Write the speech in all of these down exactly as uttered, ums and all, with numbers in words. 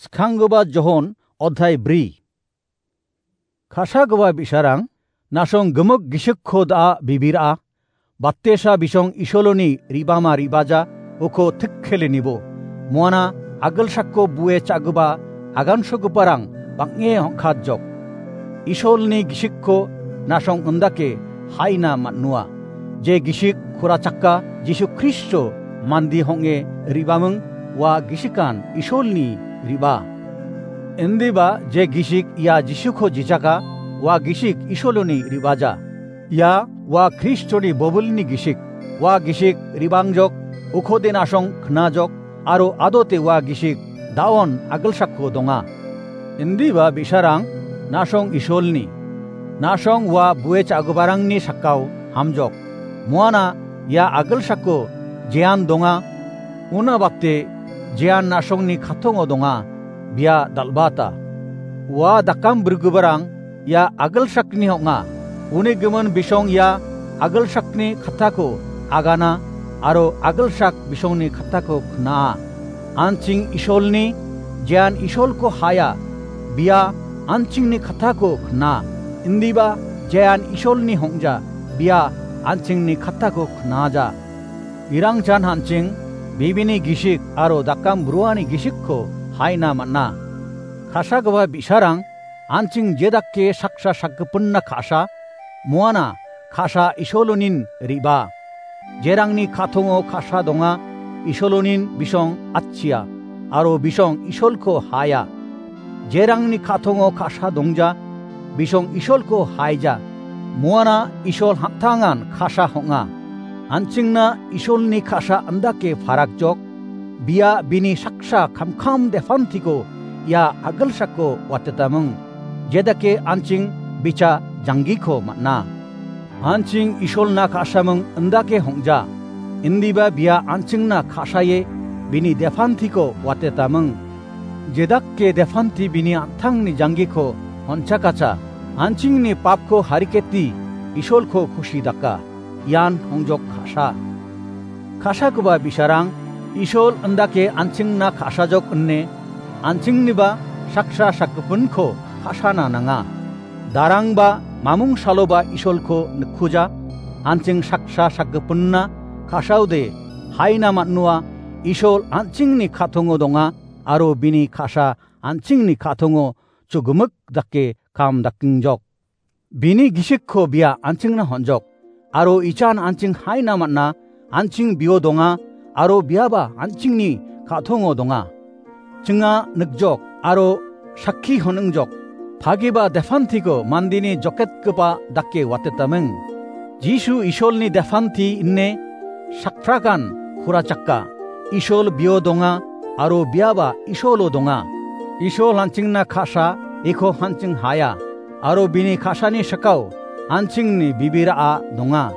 Skanggipa Johon, odhai bri. Ka·sagipa bi·sarang, nasong gimik gisikko da·a bibira, batesa bisong Isoloni ribama ribaja, uko tikkele nibo. Muana agilsako bue cha·gipa agansogiparang bang·e ong·katjok. Isolni gisikko nasong indake haina man·noa. Je gisik kurachaka Jisu Kristo mandi hong·e ribaming ua gisikan Isolni riba. Indiba je gisik ia Jisuko jijaka ua gisik Isoloni ribaja. Ia ua Kristoni bobilni gisik. Ua gisik ribangjok, ukode nasong knajok, aro adote ua gisik da·on agilsako donga. Indiba bi·sarang nasong Isolni. Nasong ua bue cha·giparangni sakao hamjok. Muana ia agilsako jean donga. Una bate jean nasongni katongo donga. Bia dal·bata. Ua dakam brigiparang ia agilsakni ong·a. Uni gimin bisong ia agilsakni kattako agana aro agilsak bisongni kattako kna·a. An·ching Isolni, jean Isolko haia, bia an·chingni kattako kna·a. Indiba jean Isolni hong·ja, bia an·chingni kattako knaja. Irangchan an·ching bibini gisik aro dakam bruani gisikko haina man·a. Ka·sagipa bi·sarang an·ching jedake saksa sakgipinna ka·sa, muana ka·sa Isolonin riba. Jerangni ka·tongo ka·sa donga, Isolonin bisong atchia, aro bisong Isolko haia. Jerangni ka·tongo ka·sa dongja, bisong Isolko haija. Muana Isol hamtangan ka·sa hong·a. An·chingna Isolni ka·sa indake parakjok, bia bini saksa kamkam depantiko ia agilsako watetaming. Jedake an·ching bicha janggiko man·a. An·ching Isolna ka·saming indake hong·ja. Indiba bia an·chingna ka·sae bini depantiko watetaming. Jedake depanti bini an·tangni janggiko honchakacha, an·chingni papko hariketi Isolko kusi daka. Ian hongjok ka·sa. Ka·sagipa bi·sarang, Isol indake an·chingna ka·sajok ine an·chingniba saksa sakgipinko ka·sana nanga. Darangba mamung saloba Isolko nikkuja, an·ching saksa sakgipinna ka·saode haina man·noa. Isol an·chingni ka·tongo donga aro bini ka·sa an·chingni ka·tongo chugimik dake kam dakengjok. Bini gisikko bia an·chingna hon·jok, aro ichan an·ching haina man·a, an·ching bio donga, aro biaba an·chingni ka·tongo donga. Chinga nikjok, aro sakki honingjok, pagipa depantiko mandeni joketgipa dake watetaming. Jisu Isolni depanti ine sakprakan kurachaka. Isol bio donga, aro biaba Isolo donga. Isol an·chingna ka·sa, iko an·ching haia, aro bini ka·sani sakao an·chingni bibira·a donga.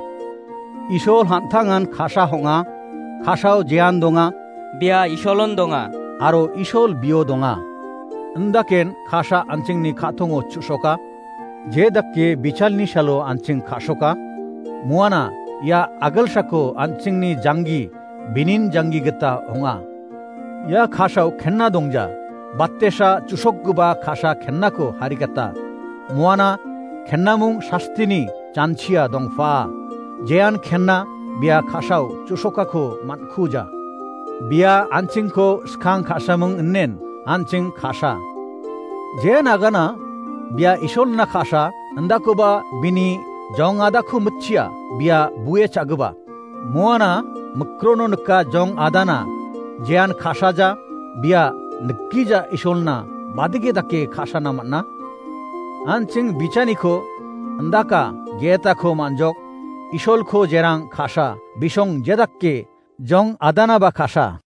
Isol hamtangan ka·sa hong·a, ka·sao jean donga, bia Isolon donga, aro Isol bio donga. Indaken ka·sa an·chingni ka·tongo chu·soka, jedake bichalni salo an·ching ka·soka, muana ia agilsako an·chingni janggi binin janggi gita ong·a. Ia ka·sao kenna dongja, batesa chu·sokgipa ka·sa kennako harikata. Muana kennamung sastini janchia dongpa. Jean kenna bia ka·sao chu·sokako man·kuja. Bia an·chingko skang ka·samung inen an·ching ka·sa. Jean agana bia Isolna ka·sa, indakoba bini jong adako mitchia, bia bue cha·gipa. Muana mikrono nika jong adana, jean ka·saja, bia nikija Isolna, badike dake ka·sana man·a. An·ching bichaniko indaka, getako man·jok, Isolko jerang ka·sa, bisong jedake jong adanaba ka·sa.